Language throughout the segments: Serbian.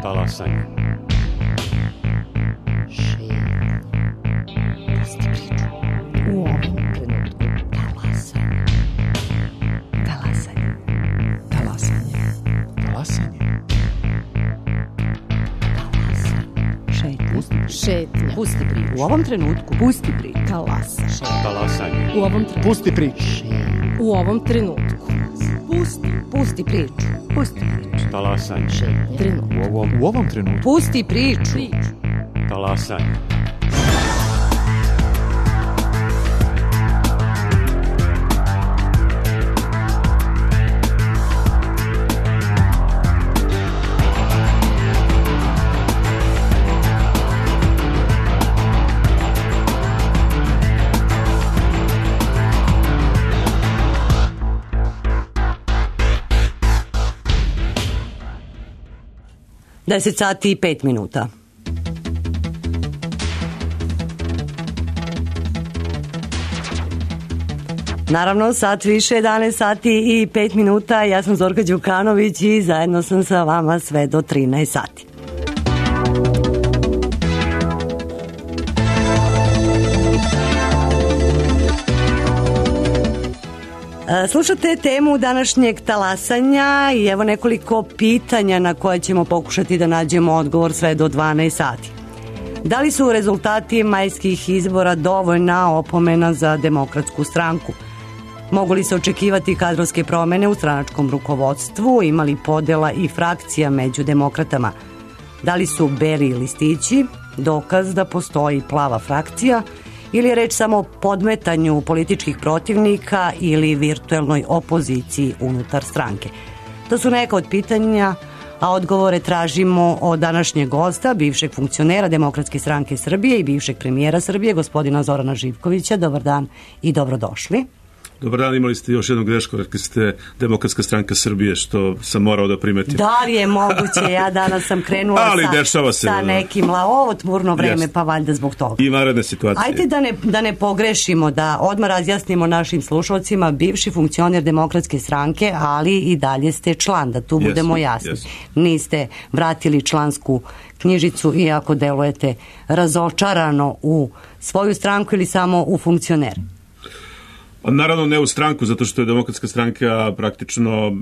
Talasanje. U ovom trenutku talasanje. Talasanje. Talasanje. Talasanje. Šetnja. Pusti priču. U ovom trenutku pusti priču. Talasanje. U ovom trenutku pusti priču. U ovom trenutku pusti priču. Pusti priču. Talasanje. Trenutku. U ovom trenutku. Pusti priču. Talasanje. Deset sati i 5 minuta. Naravno, sat više, 11 sati i 5 minuta. Ja sam Zorka Đukanović i zajedno sam sa vama sve do 13 sati. Slušate temu današnjeg talasanja i evo nekoliko pitanja na koje ćemo pokušati da nađemo odgovor sve do 12 sati. Da li su rezultati majskih izbora dovoljna opomena za Demokratsku stranku? Mogu li se očekivati kadrovske promene u stranačkom rukovodstvu? Ima li podela i frakcija među demokratama? Da li su beli listići dokaz da postoji plava frakcija? Ili je reč samo o podmetanju političkih protivnika ili virtuelnoj opoziciji unutar stranke? To su neka od pitanja, a odgovore tražimo od današnjeg gosta, bivšeg funkcionera Demokratske stranke Srbije i bivšeg premijera Srbije, gospodina Zorana Živkovića. Dobar dan i dobrodošli. Dobar dan, imali ste još jednu grešku, rekli ste Demokratska stranka Srbije, što sam morao da primetim. Da li je moguće, ja danas sam krenula sa nekim ovo tmurno vreme, pa valjda zbog toga. I vanredne situacije. Ajde da ne pogrešimo, da odmah razjasnimo našim slušalcima, bivši funkcioner Demokratske stranke, ali i dalje ste član, da tu budemo jasni. Niste vratili člansku knjižicu, iako delujete razočarano u svoju stranku ili samo u funkcioner. Naravno ne u stranku, zato što je Demokratska stranka praktično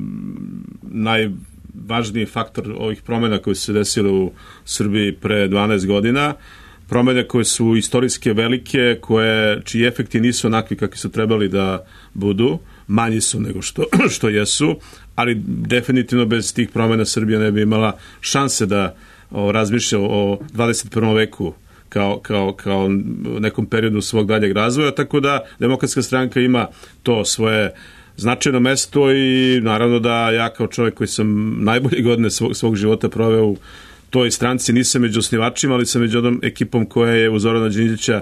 najvažniji faktor ovih promjena koje su se desile u Srbiji pre 12 godina. Promjene koje su istorijske velike, čiji efekti nisu onakvi kakvi su trebali da budu, manji su nego što jesu, ali definitivno bez tih promjena Srbija ne bi imala šanse da razmišlja o 21. veku kao nekom periodu svog daljeg razvoja, tako da Demokratska stranka ima to svoje značajno mesto i naravno da ja kao čovjek koji sam najbolje godine svog života proveo u toj stranci, nisam među osnivačima, ali sam među onom ekipom koja je u Zorana Đinđića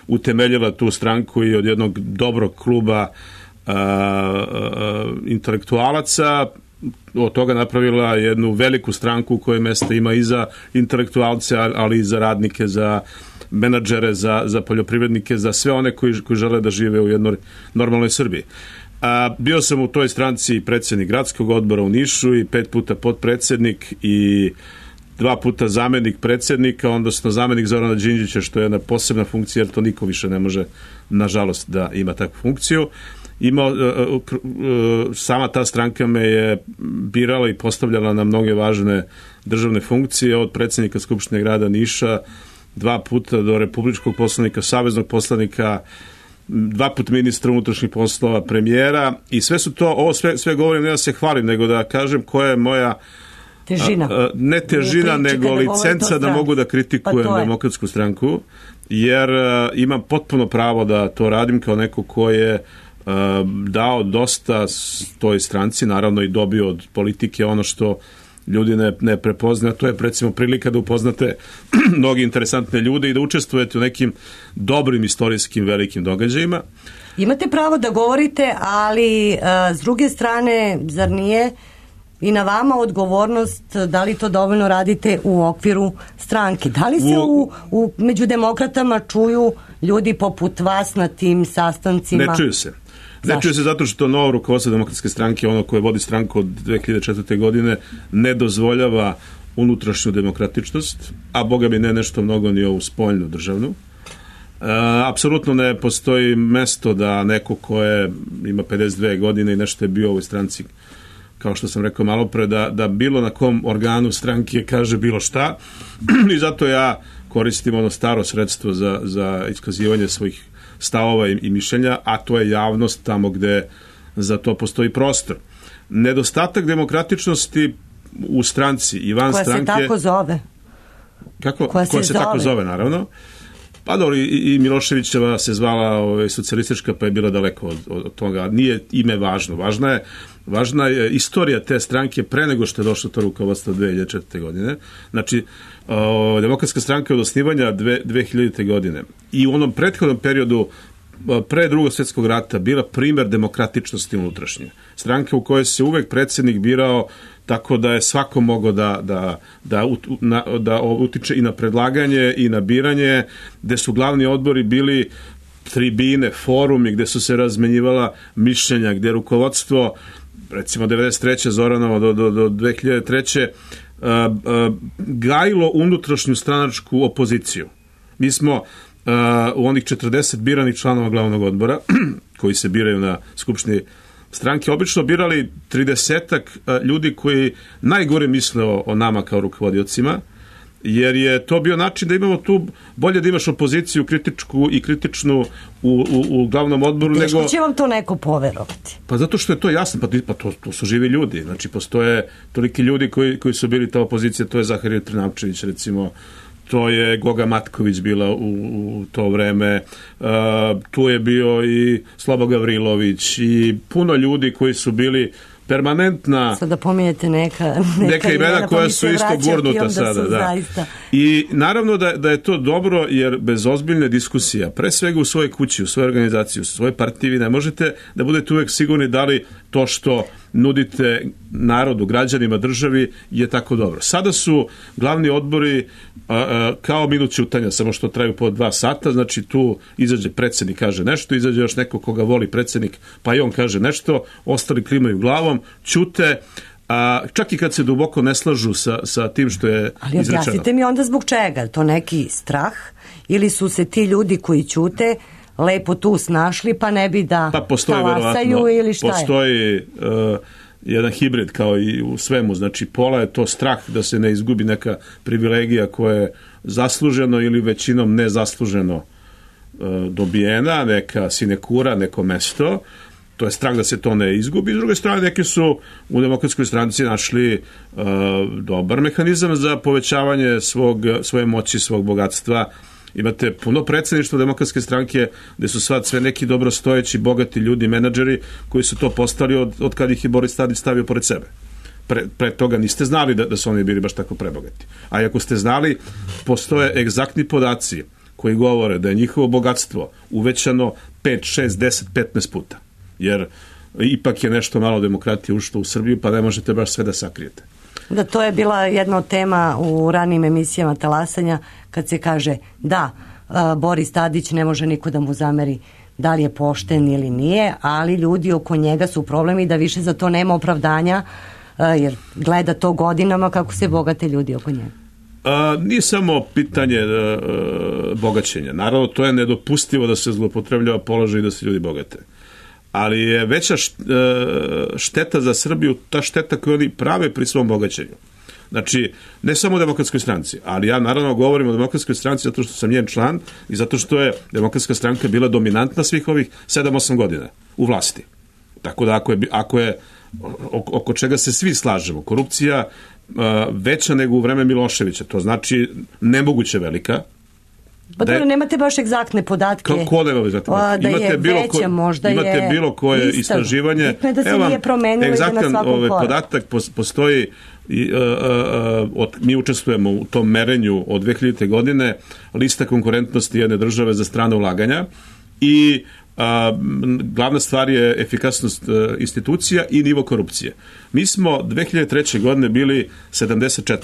utemeljila tu stranku i od jednog dobrog kluba intelektualaca od toga napravila jednu veliku stranku u kojoj mesta ima i za intelektualce, ali i za radnike, za menadžere, za poljoprivrednike, za sve one koji žele da žive u jednoj normalnoj Srbiji. Bio sam u toj stranci predsjednik gradskog odbora u Nišu i 5 puta potpredsjednik i 2 puta zamenik predsjednika, odnosno zamenik Zorana Đinđića, što je jedna posebna funkcija, jer to niko više ne može, nažalost, da ima takvu funkciju. Sama ta stranka me je birala i postavljala na mnoge važne državne funkcije, od predsjednika Skupštine grada Niša, 2 puta do republičkog poslanika, saveznog poslanika, 2 puta ministra unutrašnjih poslova, premijera, i sve su to, ovo sve govorim ne da se hvalim, nego da kažem koja je moja težina. Ne težina, nego licenca da mogu da kritikujem Demokratsku stranku, jer imam potpuno pravo da to radim kao neko ko je dao dosta toj stranci, naravno i dobio od politike ono što ljudi ne prepoznaju. To je recimo prilika da upoznate mnogi interesantne ljude i da učestvujete u nekim dobrim istorijskim velikim događajima. Imate pravo da govorite, ali s druge strane, zar nije i na vama odgovornost da li to dovoljno radite u okviru stranke? Da li se među demokratama čuju ljudi poput vas na tim sastancima? Ne čuju se. Ne čuje se zato što novo rukovodstvo Demokratske stranke, ono koje vodi stranku od 2004. godine, ne dozvoljava unutrašnju demokratičnost, a boga bi ne nešto mnogo ni ovu spoljnu državnu. Apsolutno ne postoji mesto da neko ko ima 52 godine i nešto je bio u ovoj stranci, kao što sam rekao malo pre, da bilo na kom organu stranke kaže bilo šta i zato ja koristim ono staro sredstvo za iskazivanje svojih stavova i mišljenja, a to je javnost tamo gde za to postoji prostor. Nedostatak demokratičnosti u stranci i van stranke... Koja se tako zove. Kako? Koja se tako zove, naravno. Pa dobro, i Miloševićeva se zvala socijalistička, pa je bila daleko od toga. Nije ime važno. Važna je istorija te stranke pre nego što je došlo to rukovodstvo 2004. godine. Znači, Demokratska stranka od osnivanja 2000. godine i u onom prethodnom periodu pre Drugog svjetskog rata bila primer demokratičnosti unutrašnje. Stranka u kojoj se uvek predsjednik birao tako da je svako mogao da utiče i na predlaganje i na biranje, gde su glavni odbori bili tribine, forumi, gde su se razmenjivala mišljenja, gde rukovodstvo, recimo 93. Zoranovo do 2003. Gajilo unutrašnju stranačku opoziciju. Mi smo u onih 40 biranih članova glavnog odbora, koji se biraju na skupštini stranke, obično birali 30-ak ljudi koji najgore misle o nama kao rukovodiocima, jer je to bio način da imamo tu, bolje da imaš opoziciju kritičku i kritičnu u glavnom odboru. Teško će vam to neko poverovati. Pa zato što je to jasno, pa to su živi ljudi. Znači, postoje toliki ljudi koji su bili ta opozicija, to je Zaharije Trnavčević, recimo, to je Goga Matković bila u to vreme, tu je bio i Slobo Gavrilović i puno ljudi koji su bili permanentna... Sada pominjete neka imena koja su isto gurnuta sada. Da. I naravno da je to dobro, jer bez ozbiljne diskusija, pre svega u svojoj kući, u svojoj organizaciji, u svojoj partiji, vi ne možete da budete uvek sigurni da li to što nudite narodu, građanima, državi je tako dobro. Sada su glavni odbori kao minut ćutanja, samo što traju po 2 sata, znači tu izađe predsjednik, kaže nešto, izađe još neko koga voli predsjednik, pa i on kaže nešto, ostali klimaju glavom, ćute, čak i kad se duboko ne slažu sa tim što je izrečeno. Ali objasnite mi onda zbog čega? To neki strah? Ili su se ti ljudi koji ćute lepo tu snašli, pa ne bi da talasaju ili šta je? Postoji jedan hibrid kao i u svemu, znači pola je to strah da se ne izgubi neka privilegija koja je zasluženo ili većinom nezasluženo dobijena, neka sinekura, neko mesto, to je strah da se to ne izgubi. S druge strane, neki su u Demokratskoj stranci našli dobar mehanizam za povećavanje svoje moći, svog bogatstva. Imate puno predsjedništva Demokratske stranke gde su sve neki dobrostojeći, bogati ljudi, menadžeri koji su to postali od kad ih je Boris Tadić stavio pored sebe. Pre toga niste znali da su oni bili baš tako prebogati. A ako ste znali, postoje egzaktni podaci koji govore da je njihovo bogatstvo uvećano 5, 6, 10, 15 puta. Jer ipak je nešto malo demokratije ušlo u Srbiju, pa ne možete baš sve da sakrijete. Da, to je bila jedna od tema u ranijim emisijama Talasanja, kad se kaže da, Boris Tadić ne može niko da mu zameri da li je pošten ili nije, ali ljudi oko njega su problemi da više za to nema opravdanja, jer gleda to godinama kako se bogate ljudi oko njega. Nije samo pitanje bogaćenja. Naravno, to je nedopustivo da se zloupotrebljava položaj i da se ljudi bogate. Ali je veća šteta za Srbiju ta šteta koju oni prave pri svom bogaćenju. Znači, ne samo u Demokratskoj stranci, ali ja naravno govorim o Demokratskoj stranci zato što sam njen član i zato što je Demokratska stranka bila dominantna svih ovih 7-8 godina u vlasti. Tako da ako je oko čega se svi slažemo, korupcija veća nego u vreme Miloševića, to znači nemoguće velika. Pa dobro, nemate baš egzaktne podatke. Ko nema egzaktne podatke? Da je veća, možda je imate bilo koje istraživanje. Bitno je da se nije promenilo i da na svakom koraku. Podatak postoji, mi učestvujemo u tom merenju od 2000. godine, lista konkurentnosti jedne države za strane ulaganja i glavna stvar je efikasnost institucija i nivo korupcije. Mi smo 2003. godine bili 74.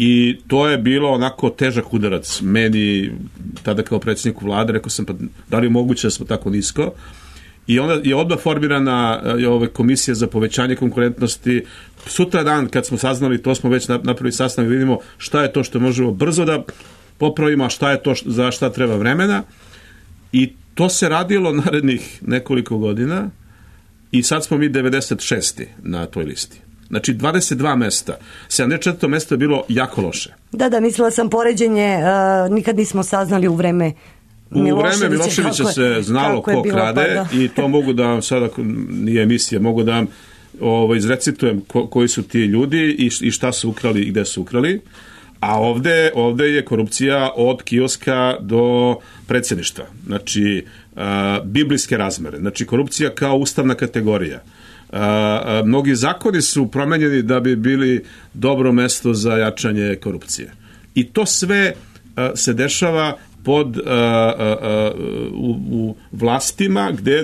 I to je bilo onako težak udarac meni tada kao predsjedniku vlade, rekao sam pa da li je moguće da smo tako nisko I onda je odmah formirana komisija za povećanje konkurentnosti. Sutra dan kad smo saznali, to smo već napravili sastanak, vidimo šta je to što možemo brzo da popravimo, a šta je to za šta treba vremena. I to se radilo narednih nekoliko godina i sad smo mi 96. na toj listi. Znači 22 mesta. 74. mesto je bilo jako loše. Da, mislila sam poređenje, nikad nismo saznali u vreme Miloševića se znalo ko krade i to mogu da vam sada, nije emisija, mogu da vam izrecitujem koji su ti ljudi i šta su ukrali i gde su ukrali. A ovde je korupcija od kioska do predsjedništva. Znači, biblijske razmere. Znači, korupcija kao ustavna kategorija. Mnogi zakoni su promenjeni da bi bili dobro mesto za jačanje korupcije. I to sve se dešava pod u vlastima gde je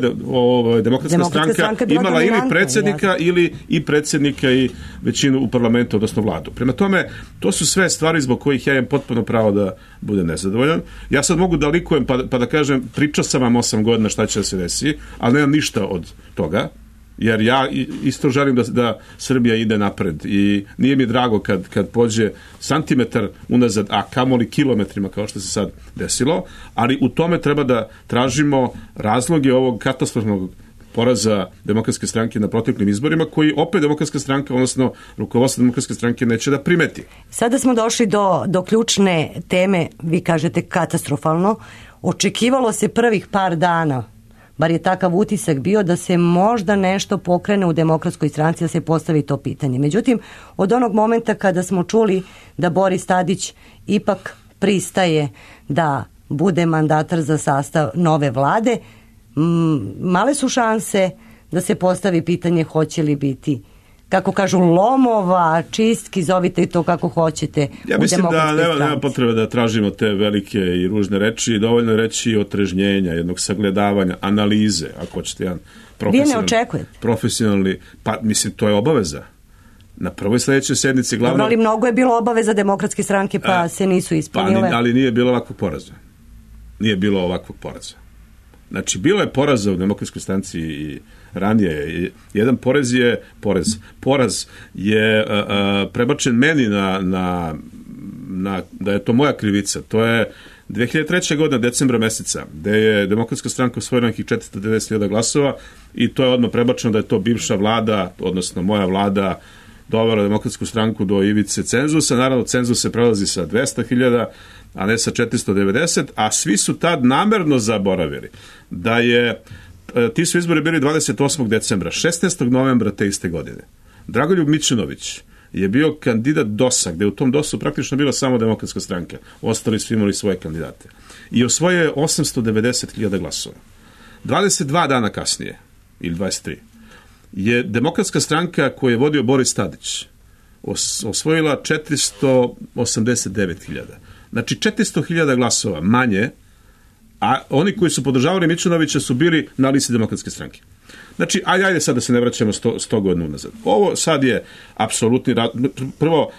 Demokratska stranka imala ili predsjednika ili predsjednika i većinu u parlamentu, odnosno vladu. Prema tome, to su sve stvari zbog kojih ja imam potpuno pravo da budem nezadovoljan. Ja sad mogu da likujem pa da kažem, pričao sam vam 8 godina šta će da se desi, ali nemam ništa od toga. Jer ja isto želim da Srbija ide napred i nije mi drago kad pođe santimetar unazad, a kamoli kilometrima kao što se sad desilo, ali u tome treba da tražimo razloge ovog katastrofalnog poraza Demokratske stranke na proteklim izborima, koji opet Demokratska stranka, odnosno rukovodstvo Demokratske stranke neće da primeti. Sada smo došli do ključne teme, vi kažete katastrofalno. Očekivalo se prvih par dana, bar je takav utisak bio, da se možda nešto pokrene u Demokratskoj stranci, da se postavi to pitanje. Međutim, od onog momenta kada smo čuli da Boris Tadić ipak pristaje da bude mandatar za sastav nove vlade, male su šanse da se postavi pitanje hoće li biti, kako kažu, lomova, čistki, zovite to kako hoćete. Ja mislim da nema potrebe da tražimo te velike i ružne reči, dovoljno je reći otrežnjenja, jednog sagledavanja, analize, ako hoćete jedan profesionalni, pa mislim to je obaveza. Na prvoj sledećoj sednici glavno... Dobro, ali mnogo je bilo obaveza Demokratske stranke, pa se nisu ispunile. Ali nije bilo ovakvog poraza. Nije bilo ovakvog poraza. Znači, bilo je poraza u Demokratskoj stranci i ranije. Jedan poraz je prebačen meni da je to moja krivica. To je 2003. godina, decembra meseca, gde je Demokratska stranka osvojila nekih 490.000 glasova i to je odmah prebačeno da je to bivša vlada, odnosno moja vlada, dovela Demokratsku stranku do ivice cenzusa. Naravno, cenzus se prelazi sa 200.000, a ne sa 490, a svi su tad namerno zaboravili da je, ti su izbori bili 28. decembra, 16. novembra te iste godine. Dragoljub Mićunović je bio kandidat DOS-a, gde u tom DOS-u praktično bila samo Demokratska stranka. Ostali su imali svoje kandidate. I osvojio je 890.000 glasova. 22 dana kasnije, ili 23, je Demokratska stranka koju je vodio Boris Tadić osvojila 489.000. Znači 400.000 glasova manje, a oni koji su podržavali Mićunovića su bili na listi Demokratske stranke. Znači, ajde sad da se ne vraćamo 100 godina unazad. Ovo sad je apsolutni... Prvo,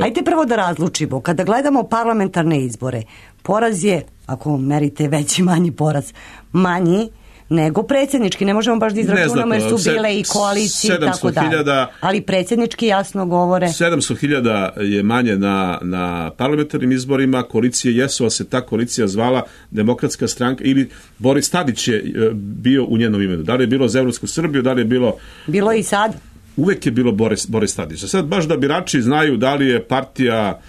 Ajde prvo da razlučimo. Kada gledamo parlamentarne izbore, poraz je, ako merite veći, manji poraz, manji nego predsjednički. Ne možemo baš da izračunamo jer su bile i koalicije i tako dalje. Ali predsjednički jasno govore. 700.000 je manje na parlamentarnim izborima. Koalicije jesu, ali se ta koalicija zvala Demokratska stranka ili Boris Tadić je bio u njenom imenu. Da li je bilo za Evropsku Srbiju, da li je bilo... Bilo i sad. Uvek je bilo Boris Tadić. A sad baš da birači znaju da li je partija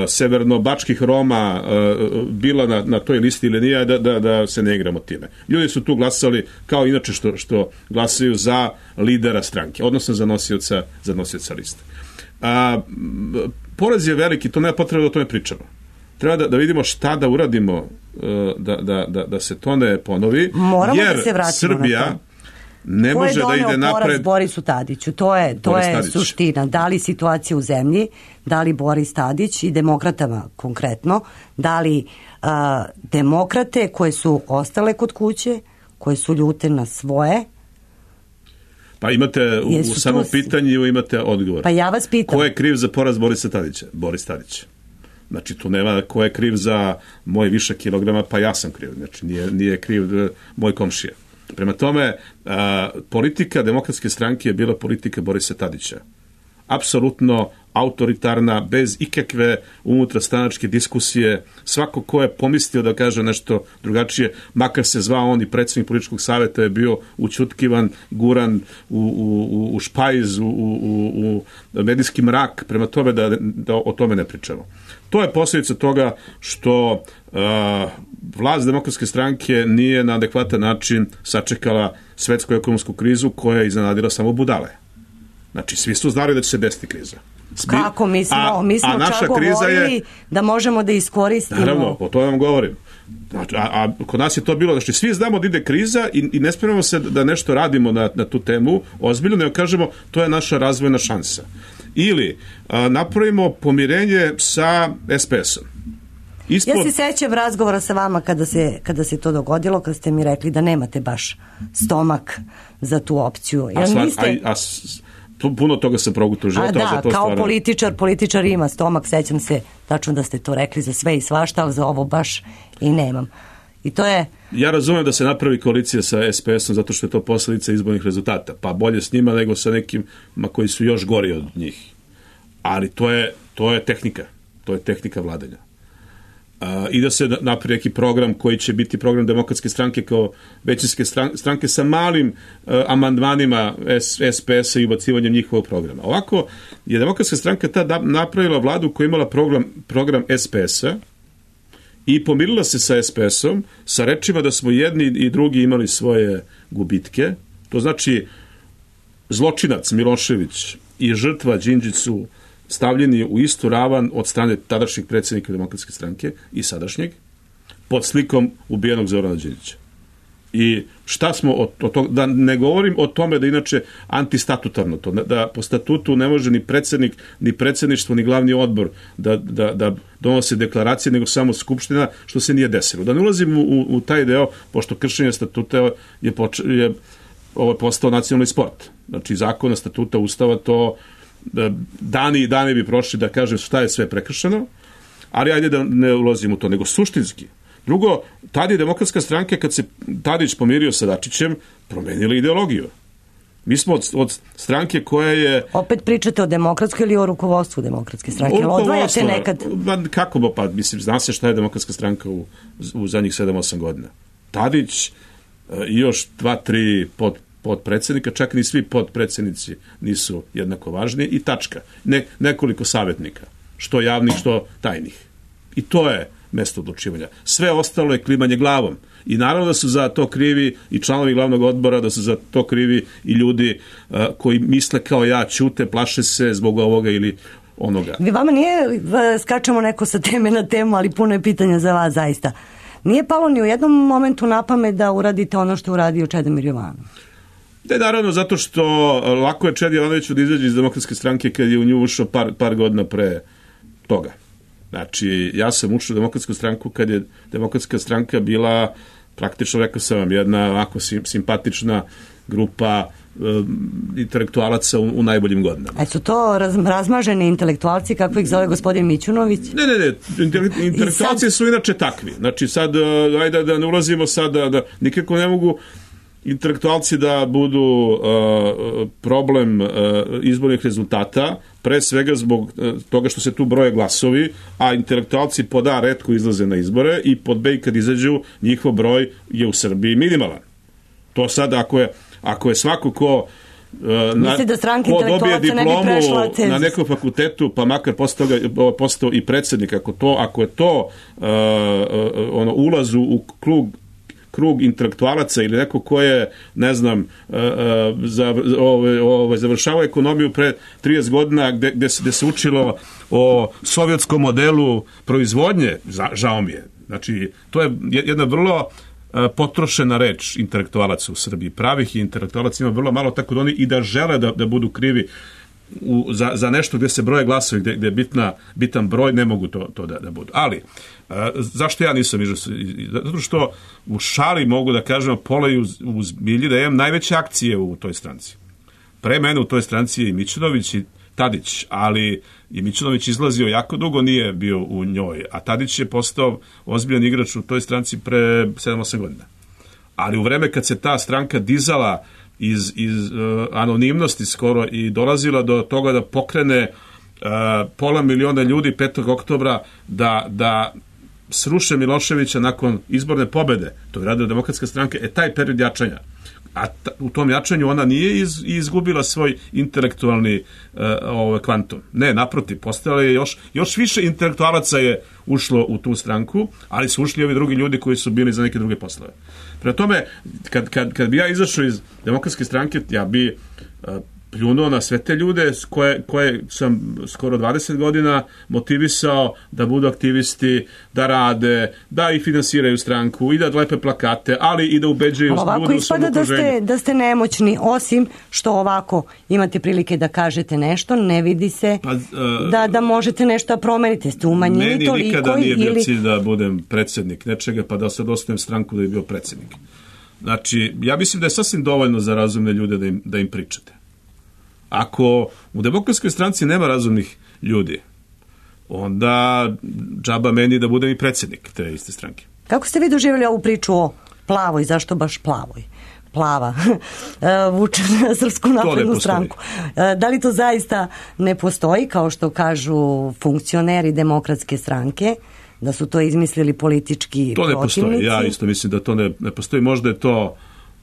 severno-bačkih Roma bila na toj listi ili nije, da se ne igramo time. Ljudi su tu glasali kao inače što glasaju za lidera stranke, odnosno za nosioca liste. Poraz je veliki, to nema potrebe da o tome pričamo. Treba da vidimo šta da uradimo da se to ne ponovi. Moramo jer da se vratimo Srbija na to. Ne može da ide napred. Poraz Borisu Tadiću? To je suština. Da li situacija u zemlji, da li Boris Tadić i demokratama konkretno, da li demokrate koje su ostale kod kuće, koje su ljute na svoje? Pa imate u samom pitanju imate odgovor. Pa ja vas pitam. Ko je kriv za poraz Borisa Tadića? Boris Tadić. Znači, tu nema ko je kriv za moj više kilograma, pa ja sam kriv. Znači, nije kriv moj komšija. Prema tome, politika Demokratske stranke je bila politika Borisa Tadića. Apsolutno autoritarna, bez ikakve unutrastranačke diskusije. Svako ko je pomislio da kaže nešto drugačije, makar se zvao on i predsjednik političkog savjeta, je bio učutkivan, guran u špajz, u medijski mrak. Prema tome da o tome ne pričamo. To je posljedica toga što vlast Demokratske stranke nije na adekvatan način sačekala svetsku ekonomsku krizu koja je iznenadila samo budale. Znači, svi su znali da će se desiti kriza. Kako? Mi smo čak govorili da možemo da iskoristimo. Naravno, o to vam govorim. Znači, a kod nas je to bilo, znači svi znamo da ide kriza i ne spremamo se da nešto radimo na tu temu ozbiljno, nego kažemo to je naša razvojna šansa. Ili napravimo pomirenje sa SPS-om. Ja se sećam razgovora sa vama kada se to dogodilo, kad ste mi rekli da nemate baš stomak za tu opciju. Puno toga se progutao života. Da, kao političar ima stomak, sećam se tačno da ste to rekli za sve i svašta, ali za ovo baš i nemam. I to je... Ja razumem da se napravi koalicija sa SPS-om zato što je to posljedica izbornih rezultata, pa bolje s njima nego sa nekima koji su još gori od njih. Ali to je tehnika. To je tehnika vladanja. I da se napravi neki program koji će biti program Demokratske stranke kao većinske stranke sa malim amandmanima SPS-a i ubacivanjem njihovog programa. Ovako je Demokratska stranka tada napravila vladu koja je imala program SPS-a i pomirila se sa SPS-om sa rečima da smo jedni i drugi imali svoje gubitke. To znači zločinac Milošević i žrtva Đinđić su stavljeni u istu ravan od strane tadašnjeg predsjednika Demokratske stranke i sadašnjeg pod slikom ubijenog Zorana Đinđića. I šta smo od toga, da ne govorim o tome da inače antistatutarno to, da po statutu ne može ni predsjednik, ni predsjedništvo, ni glavni odbor da donose deklaracije, nego samo skupština, što se nije desilo. Da ne ulazim u taj deo, pošto kršenje statuta je postao nacionalni sport. Znači zakona, statuta, ustava, to dani i dani bi prošli da kažem šta je sve prekršeno, ali ajde da ne ulazim u to, nego suštinski. Drugo, tad je Demokratska stranka, kad se Tadić pomirio sa Dačićem, promenila ideologiju. Mi smo od stranke koja je... Opet pričate o Demokratskoj ili o rukovodstvu Demokratske stranke? Odvajate nekad? Kako, pa mislim, zna se šta je Demokratska stranka u zadnjih 7-8 godina. Tadić i još 2-3 podpredsjednika, čak ni svi podpredsjednici nisu jednako važni i tačka. Nekoliko savjetnika, što javnih, što tajnih. I to je mesto odlučivanja. Sve ostalo je klimanje glavom. I naravno da su za to krivi i članovi glavnog odbora, da su za to krivi i ljudi koji misle kao ja, ćute, plaše se zbog ovoga ili onoga. Vama nije, skačemo neko sa teme na temu, ali puno je pitanja za vas zaista. Nije palo ni u jednom momentu na pamet da uradite ono što uradio Čedomir Jovanov? Da, naravno, zato što lako je Čedi Jovanoviću da izađe iz Demokratske stranke kad je u nju ušao par godina pre toga. Znači, ja sam ušao u Demokratsku stranku kad je Demokratska stranka bila, praktično rekao sam vam, jedna ovako simpatična grupa intelektualaca u najboljim godinama. A su to razmaženi intelektualci, kako ih zove gospodin Mićunović? Ne, intelektualci su inače takvi. Znači, sad, ajde da ne ulazimo sad, da nikako ne mogu intelektualci da budu problem izbornih rezultata, pre svega zbog toga što se tu broje glasovi, a intelektualci pod A retko izlaze na izbore i pod B kad izađu, njihov broj je u Srbiji minimalan. To sad ako je svako ko dobije diplomu na nekom fakultetu, pa makar postao i predsjednik, ako je to ulaz u krug intelektualaca ili neko ko je, ne znam, završavao ekonomiju pre 30 godina gde se učilo o sovjetskom modelu proizvodnje, žao mi je. Znači, to je jedna vrlo potrošena reč intelektualaca u Srbiji. Pravih intelektualaca ima vrlo malo, tako da oni i da žele da budu krivi za nešto gde se broje glasovi, gde je bitan broj, ne mogu to da budu. Ali, zašto ja nisam ižao? Zato što u šali mogu da kažem pola i u zbilji da imam najveće akcije u toj stranci. Pre mene u toj stranci je i Mićunović i Tadić, ali i Mićunović izlazio jako dugo, nije bio u njoj, a Tadić je postao ozbiljan igrač u toj stranci pre 7-8 godina. Ali u vreme kad se ta stranka dizala iz anonimnosti skoro i dolazila do toga da pokrene pola miliona ljudi 5. oktobra da sruše Miloševića nakon izborne pobede, to je radila Demokratska stranka, taj period jačanja. A u tom jačanju ona nije izgubila svoj intelektualni kvantum. Ne, naprotiv, postojalo je još više intelektualaca je ušlo u tu stranku, ali su ušli ovi drugi ljudi koji su bili za neke druge poslove. Prema tome, kad bi ja izašao iz Demokratske stranke, ja bi pljunuo na sve te ljude koje sam skoro 20 godina motivisao da budu aktivisti, da rade, da i finansiraju stranku i da lepe plakate, ali i da ubeđuju ljude u svom okruženju. Ovako ispada da ste nemoćni, osim što ovako imate prilike da kažete nešto, ne vidi se da možete nešto da promenite. Ste umanjeni toliko. Meni nikada nije bio cilj da budem predsjednik nečega, pa da sad ostavim stranku da bi bio predsjednik. Znači, ja mislim da je sasvim dovoljno za razumne ljude da im pričate. Ako u Demokratskoj stranci nema razumnih ljudi, onda džaba meni da budem i predsjednik te iste stranke. Kako ste vi doživjeli ovu priču o plavoj, zašto baš plavoj? Plava vuče na Srpsku naprednu stranku. Da li to zaista ne postoji, kao što kažu funkcioneri Demokratske stranke, da su to izmislili politički protivnici? To ne postoji, ja isto mislim da to ne postoji. Možda je to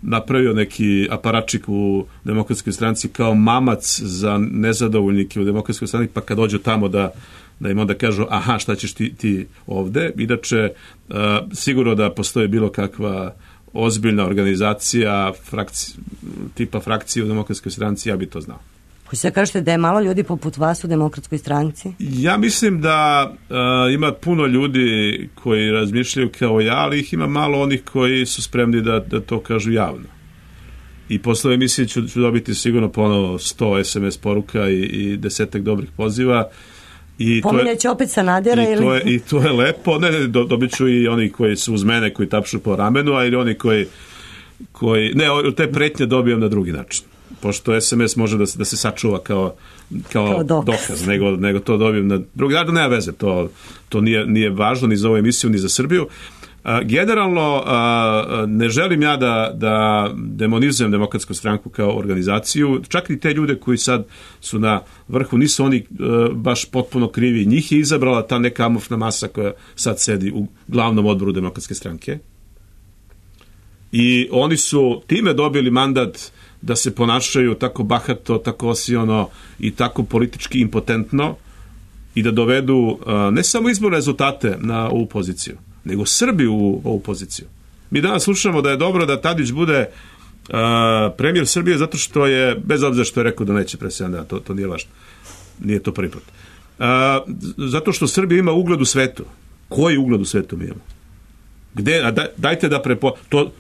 napravio neki aparačik u Demokratskoj stranci kao mamac za nezadovoljnike u Demokratskoj stranci, pa kad dođu tamo da im onda kažu aha, šta ćeš ti ovde. Inače, sigurno da postoji bilo kakva ozbiljna organizacija tipa frakcije u Demokratskoj stranci, ja bi to znao. Hoćete da kažete da je malo ljudi poput vas u Demokratskoj stranci? Ja mislim da ima puno ljudi koji razmišljaju kao ja, ali ih ima malo onih koji su spremni da to kažu javno. I posle emisije ću dobiti sigurno ponovo 100 SMS poruka i 10 dobrih poziva. Pominjaće opet Sanadera? I to je lepo. Ne, dobit ću i oni koji su uz mene, koji tapšu po ramenu, a ili oni koji ne, te pretnje dobijam na drugi način. Pošto SMS može da se sačuva kao dokaz, nego to dobijem na drugi način. Nema veze, to nije važno ni za ovu emisiju, ni za Srbiju. Generalno, ne želim ja da demonizujem Demokratsku stranku kao organizaciju. Čak i te ljude koji sad su na vrhu, nisu oni baš potpuno krivi. Njih je izabrala ta neka amorfna masa koja sad sedi u glavnom odboru Demokratske stranke. I oni su time dobili mandat da se ponašaju tako bahato, tako osiono i tako politički impotentno i da dovedu ne samo izborne rezultate na ovu poziciju, nego Srbiju u ovu poziciju. Mi danas slušamo da je dobro da Tadić bude premijer Srbije zato što je, bez obzira što je rekao da neće pre 7 dana, to nije važno. Nije to prvi put. Zato što Srbija ima ugled u svetu. Koji ugled u svetu mi imamo? Gde, dajte da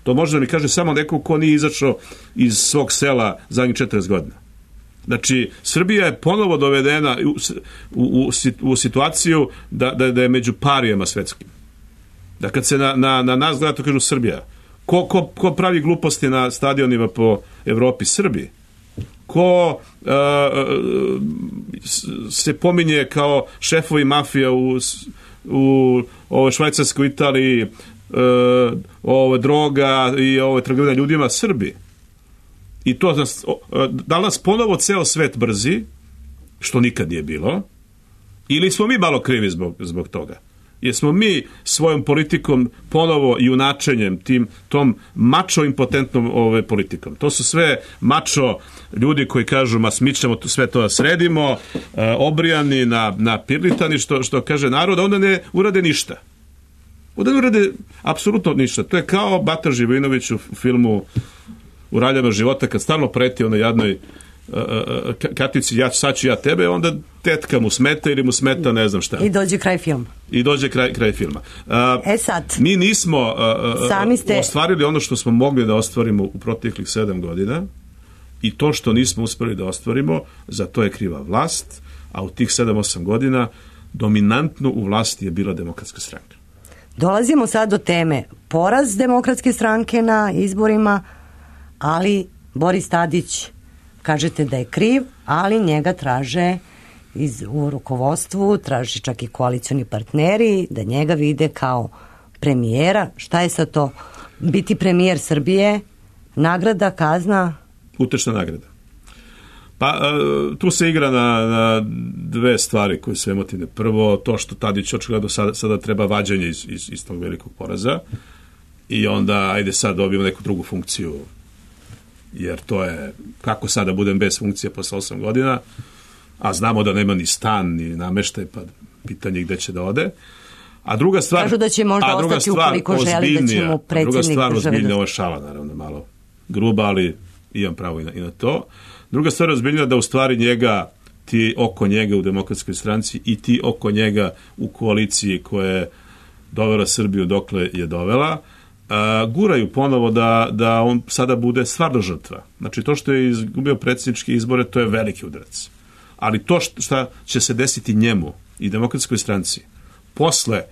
to može da mi kaže samo neko ko nije izašao iz svog sela zadnjih 40 godina. Znači, Srbija je ponovo dovedena u situaciju da je među parijama svetskim. Da kad se na nas gleda, to kažu Srbija. Ko pravi gluposti na stadionima po Evropi? Srbiji. Ko se pominje kao šefovi mafija u Švajcarskoj, Italiji, droga i trgovina ljudima? Srbi. I to da nas ponovo ceo svet brzi, što nikad nije bilo, ili smo mi malo krivi zbog toga? Jer smo mi svojom politikom ponovo i unačenjem tom mačo impotentnom politikom. To su sve mačo ljudi koji kažu mi ćemo sve to da sredimo, obrijani, napirlitani, što kaže narod, onda ne urade ništa. Onda ne urade apsolutno ništa. To je kao Bata Živojinović u filmu U raljama života, kad stalno preti onoj jadnoj Katici, sad ću ja tebe, onda tetka mu smeta ili mu smeta ne znam šta. I dođe kraj filma. Kraj filma. Sad. Mi nismo ostvarili ono što smo mogli da ostvarimo u proteklih 7 godina i to što nismo uspeli da ostvarimo, za to je kriva vlast, a u tih 7-8 godina dominantno u vlasti je bila Demokratska stranka. Dolazimo sad do teme poraz Demokratske stranke na izborima, ali Boris Tadić, kažete da je kriv, ali njega traže u rukovodstvu, traže čak i koalicioni partneri da njega vide kao premijera. Šta je sad to biti premijer Srbije, nagrada, kazna? Utešna nagrada. Pa tu se igra na dve stvari koje su emotivne. Prvo, to što Tadić očigledno sada treba vađanje iz tog velikog poraza i onda ajde sad dobijemo neku drugu funkciju, jer to je, kako sada budem bez funkcije posle 8 godina, a znamo da nema ni stan, ni nameštaj, pa pitanje gde će da ode. A druga stvar, kažu da će možda ostati ukoliko želi da će mu predsjednik druga stvar ozbiljnija, ovo države. je šala, naravno, malo gruba, ali imam pravo i na to. Druga stvar ozbiljnija da u stvari njega, ti oko njega u Demokratskoj stranci i ti oko njega u koaliciji koja je dovela Srbiju dokle je dovela, guraju ponovo da on sada bude stvarno žrtva. Znači, to što je izgubio predsjedničke izbore, to je veliki udarac. Ali to šta će se desiti njemu i Demokratskoj stranci posle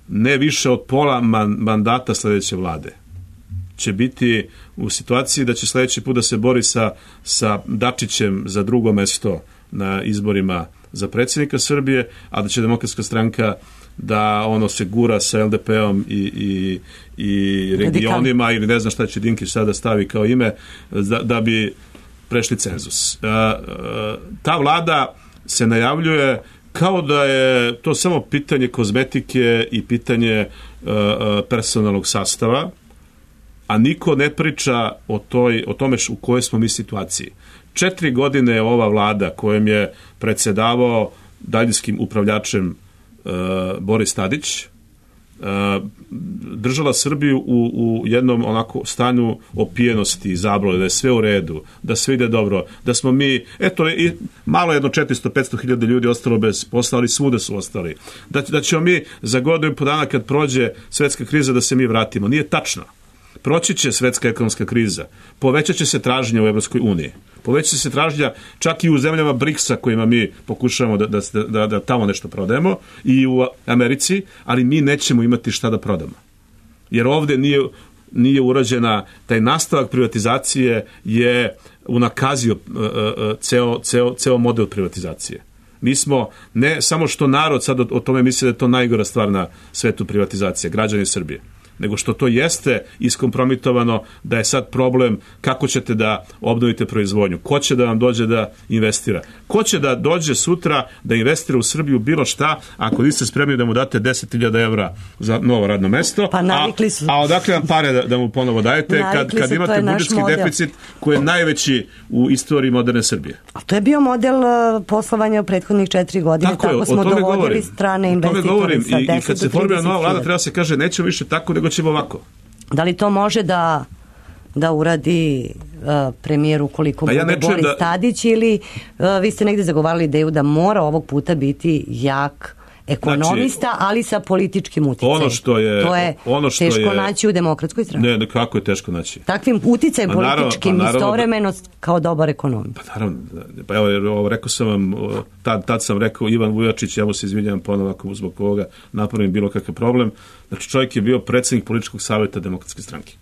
ne više od pola mandata sledeće vlade će biti u situaciji da će sledeći put da se bori sa Dačićem za drugo mesto na izborima za predsjednika Srbije, a da će Demokratska stranka da ono se gura sa LDP-om i regionima ili ne znam šta će Dinkić sada stavi kao ime da bi prešli cenzus. Ta vlada se najavljuje kao da je to samo pitanje kozmetike i pitanje personalnog sastava, a niko ne priča o tome u kojoj smo mi situaciji. 4 godine je ova vlada kojom je predsjedavao daljinskim upravljačem Boris Tadić držala Srbiju u jednom onako stanju opijenosti i zablode, da je sve u redu, da sve ide dobro, da smo mi, eto, malo jedno 400-500 hiljada ljudi ostalo bez posla, ali svuda su ostali. Da ćemo mi za godinu i po dana kad prođe svetska kriza da se mi vratimo. Nije tačno. Proći će svetska ekonomska kriza, povećat će se tražnja u Evropskoj uniji, povećat će se tražnja čak i u zemljama BRICS-a kojima mi pokušavamo da tamo nešto prodajemo i u Americi, ali mi nećemo imati šta da prodamo. Jer ovde nije urađena, taj nastavak privatizacije je unakazio ceo model privatizacije. Mi smo, ne samo što narod sad o tome misli da je to najgora stvar na svetu privatizacije, građani Srbije, nego što to jeste iskompromitovano, da je sad problem kako ćete da obnovite proizvodnju, ko će da vam dođe da investira, ko će da dođe sutra da investira u Srbiju bilo šta, ako niste spremni da mu date 10.000 evra za novo radno mesto, pa su. A odakle vam pare da mu ponovo dajete kad imate budžetski deficit koji je najveći u istoriji moderne Srbije. A to je bio model poslovanja u prethodnih 4 godine, tako smo dovodili strane investitore sa 10 do 30.000. I kad se formira nova vlada treba se kaže nećemo više tako, nego ćemo ovako. Da li to može da uradi premijer ukoliko bude Boris Tadić ili vi ste negde zagovarali ideju da mora ovog puta biti jak ekonomista, ali sa političkim uticajem. Teško naći u Demokratskoj stranci. Ne, kako je teško naći? Takvim uticajem političkim istovremeno kao dobar ekonomist. Pa naravno, pa evo rekao sam vam, tad sam rekao Ivan Vujačić, ja mu se izvinjavam ponovo ako zbog ovoga napravim bilo kakav problem. Znači čovjek je bio predsjednik političkog savjeta Demokratske stranke.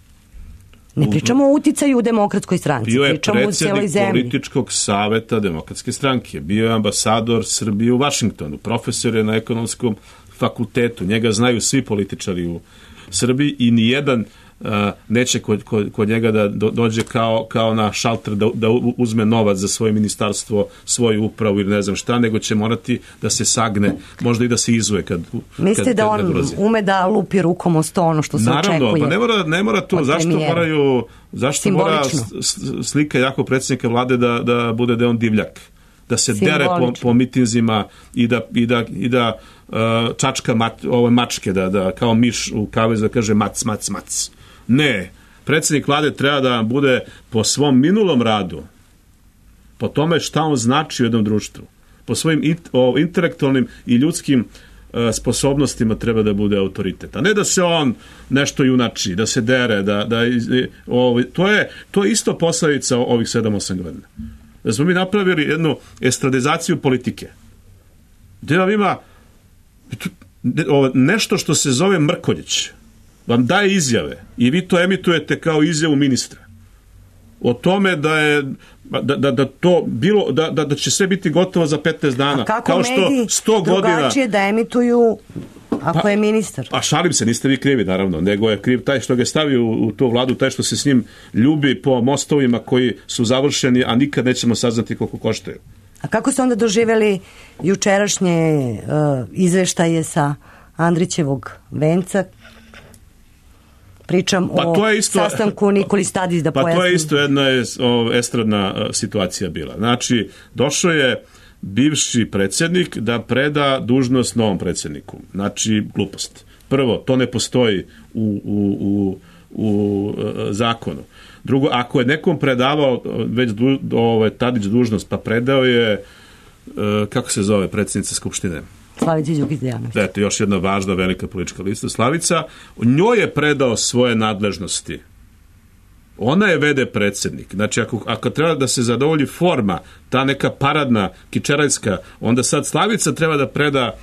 Ne pričamo o uticaju u Demokratskoj stranci, bio je pričamo u cijeloj zemlji. političkog saveta Demokratske stranke, bio je ambasador Srbije u Vašingtonu, profesor je na ekonomskom fakultetu, njega znaju svi političari u Srbiji i nijedan neće kod njega da dođe kao na šalter da uzme novac za svoje ministarstvo, svoju upravu ili ne znam šta, nego će morati da se sagne, možda i da se izuje kad mislite da on ume da lupi rukom o sto ono što se očekuje? Naravno, pa ne mora to. Zašto mora slika jako predsjednika vlade da bude da je on divljak? Da se dere po mitinzima i da čačka ove mačke, da kao miš u kavezu da kaže mac, mac, mac. Ne, predsjednik vlade treba da bude po svom minulom radu, po tome šta on znači u jednom društvu, po svojim intelektualnim i ljudskim sposobnostima treba da bude autoritet. A ne da se on nešto junači, da se dere, to je isto posledica ovih 7-8 godina. Da smo mi napravili jednu estradizaciju politike. Gde vam ima nešto što se zove Mrkonjić, vam daje izjave i vi to emitujete kao izjavu ministra o tome da to bilo da će sve biti gotovo za 15 dana. A kako kao što mediji 100 drugačije da emituju ako je ministar. A šalim se, niste vi krivi, naravno, nego je kriv taj što ga je stavio u tu vladu, taj što se s njim ljubi po mostovima koji su završeni, a nikad nećemo saznati koliko koštaju. A kako ste onda doživjeli jučerašnje izveštaje sa Andrićevog venca? Pričam o sastanku Nikoli Stadić, da pojasnim. Pa to je isto jedna estradna situacija bila. Znači, došao je bivši predsjednik da preda dužnost novom predsjedniku. Znači, glupost. Prvo, to ne postoji u zakonu. Drugo, ako je nekom predavao već Tadić dužnost, pa predao je, kako se zove predsjednica Skupštine? Slavica Đukić Dejanović. Eto, još jedna važna velika politička lista. Slavica, njoj je predao svoje nadležnosti. Ona je vede predsjednik. Znači, ako treba da se zadovolji forma, ta neka paradna, kičerajska, onda sad Slavica treba da preda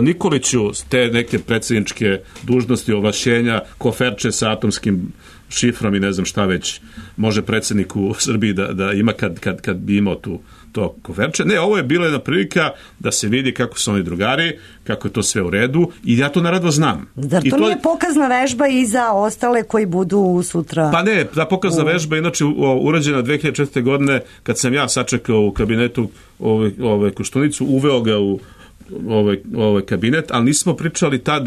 Nikoliću te neke predsjedničke dužnosti, ovlašćenja, koferče sa atomskim šifrom i ne znam šta već može predsjednik u Srbiji da ima kad bi imao to koferče. Ne, ovo je bila jedna prilika da se vidi kako su oni drugari, kako je to sve u redu i ja to naravno znam. Zar to nije pokazna vežba i za ostale koji budu sutra? Pa ne, ta pokazna vežba inače urađena 2004. godine kad sam ja sačekao u kabinetu Koštunicu, uveo ga u ovaj kabinet, ali nismo pričali tad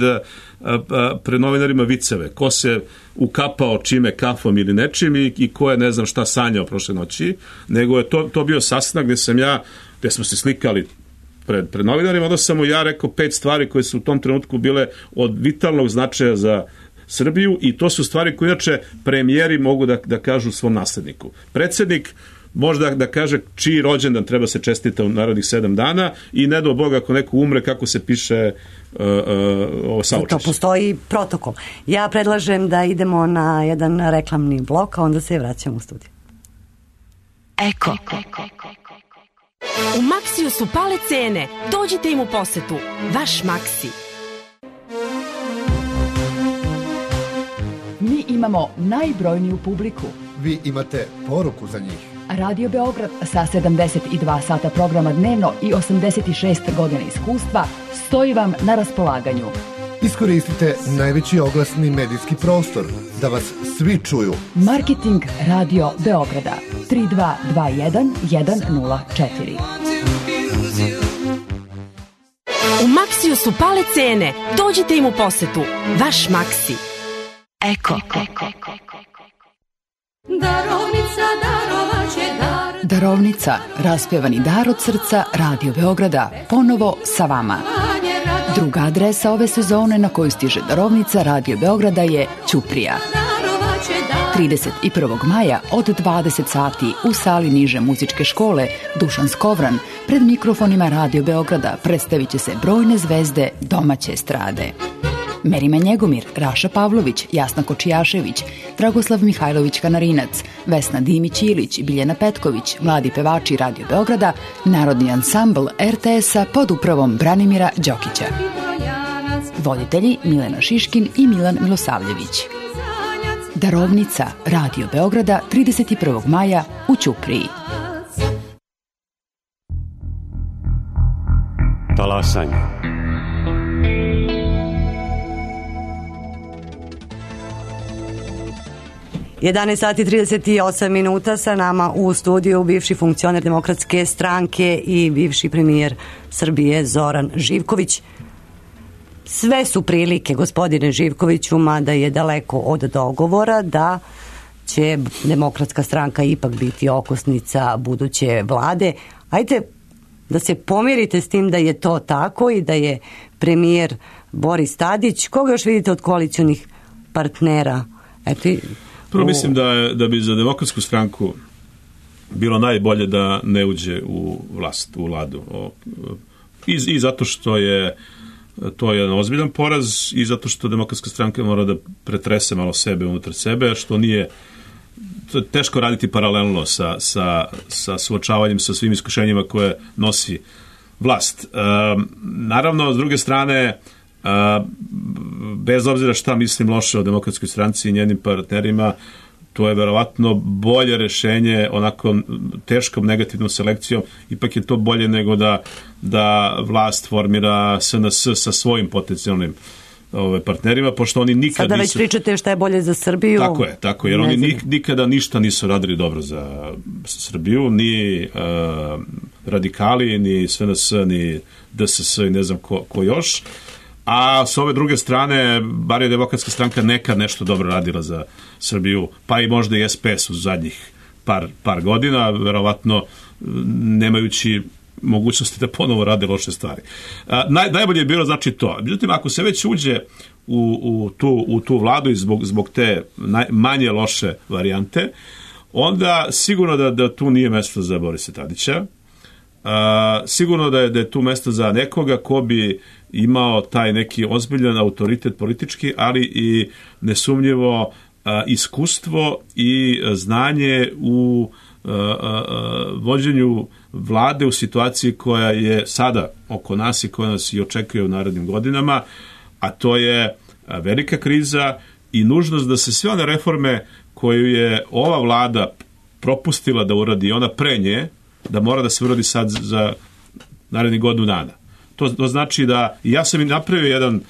pred novinarima viceve. Ko se ukapao čime, kafom ili nečim i ko je ne znam šta sanjao prošle noći, nego je to bio sastanak gdje smo se slikali pred novinarima, onda sam mu ja rekao 5 stvari koje su u tom trenutku bile od vitalnog značaja za Srbiju i to su stvari koje inače premijeri mogu da kažu svom nasledniku. Predsjednik možda da kaže čiji rođendan treba se čestita u narednih 7 dana i ne do Boga ako neko umre kako se piše saučešće. To postoji protokol. Ja predlažem da idemo na jedan reklamni blok, a onda se vraćamo u studiju. Eko. U Maksiju su pale cene. Dođite im u posetu. Vaš Maksi. Mi imamo najbrojniju publiku. Vi imate poruku za njih. Radio Beograd sa 72 sata programa dnevno i 86 godina iskustva stoji vam na raspolaganju. Iskoristite najveći oglasni medijski prostor da vas svi čuju. Marketing Radio Beograda 3221 104. U Maksiju su pale cene. Dođite im u posetu. Vaš Maksi. Eko. Darovnica, raspjevani dar od srca Radio Beograda, ponovo sa vama. Druga adresa ove sezone na koju stiže darovnica Radio Beograda je Ćuprija. 31. maja od 20 sati u sali niže muzičke škole Dušan Skovran pred mikrofonima Radio Beograda predstavit će se brojne zvezde domaće estrade. Merima Njegomir, Raša Pavlović, Jasna Kočijašević, Dragoslav Mihajlović Kanarinac, Vesna Dimić-Ilić, Biljana Petković, mladi pevači Radio Beograda, Narodni ansambl RTS-a pod upravom Branimira Đokića. Voditelji Milena Šiškin i Milan Milosavljević. Darovnica Radio Beograda 31. maja u Ćupriji. Talasanje. Sati 38 minuta sa nama u studiju bivši funkcioner Demokratske stranke i bivši premijer Srbije Zoran Živković. Sve su prilike, gospodine Živkoviću, mada je daleko od dogovora, da će Demokratska stranka ipak biti okosnica buduće vlade. Ajde da se pomirite s tim da je to tako i da je premijer Boris Tadić. Koga još vidite od koalicionih partnera? Prvo mislim da bi za Demokratsku stranku bilo najbolje da ne uđe u vlast, u vladu. I zato što je to jedan ozbiljan poraz i zato što Demokratska stranka mora da pretrese malo sebe unutar sebe, što nije teško raditi paralelno sa suočavanjem sa svim iskušenjima koje nosi vlast. Naravno, s druge strane, bez obzira šta mislim loše o Demokratskoj stranci i njenim partnerima, to je verovatno bolje rešenje onako teškom negativnom selekcijom, ipak je to bolje nego da vlast formira SNS sa svojim potencijalnim partnerima, pošto oni nikad Sada već pričate šta je bolje za Srbiju. Tako je, jer oni nikada ništa nisu radili dobro za Srbiju, ni radikali, ni SNS, ni DSS i ne znam ko još. A s ove druge strane, bar je Demokratska stranka nekad nešto dobro radila za Srbiju, pa i možda i SPS u zadnjih par godina, verovatno nemajući mogućnosti da ponovo rade loše stvari. Najbolje je bilo znači to. Međutim, ako se već uđe u tu vladu i zbog te manje loše varijante, onda sigurno da tu nije mesto za Borisa Tadića. Sigurno da je tu mesto za nekoga ko bi imao taj neki ozbiljan autoritet politički, ali i nesumnjivo iskustvo i znanje u vođenju vlade u situaciji koja je sada oko nas i koja nas i očekuje u narednim godinama, a to je velika kriza i nužnost da se sve one reforme koju je ova vlada propustila da uradi, ona pre nje, da mora da se uradi sad za narednih godinu dana. To znači da, ja sam i napravio jedan,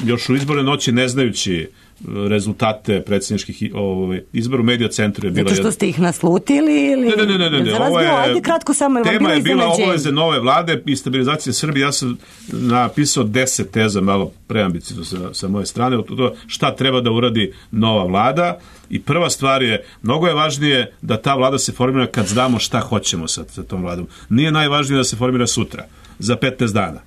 još u izborne noći ne znajući rezultate predsjedničkih izbora u Medija centru je bila. Zato što ste ih naslutili ili? Ne. Ovo je, ajde kratko samo. Tema je bila obaveze nove vlade i stabilizacije Srbije. Ja sam napisao 10 teza, malo preambiciozno sa moje strane, od toga šta treba da uradi nova vlada. I prva stvar je, mnogo je važnije da ta vlada se formira kad znamo šta hoćemo sa tom vladom. Nije najvažnije da se formira sutra, za 15 dana.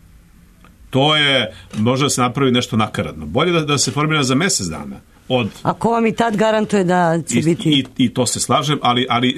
To je, može da se napravi nešto nakaradno. Bolje da se formira za mjesec dana. A ko vam i tad garantuje da će biti? I to se slažem, ali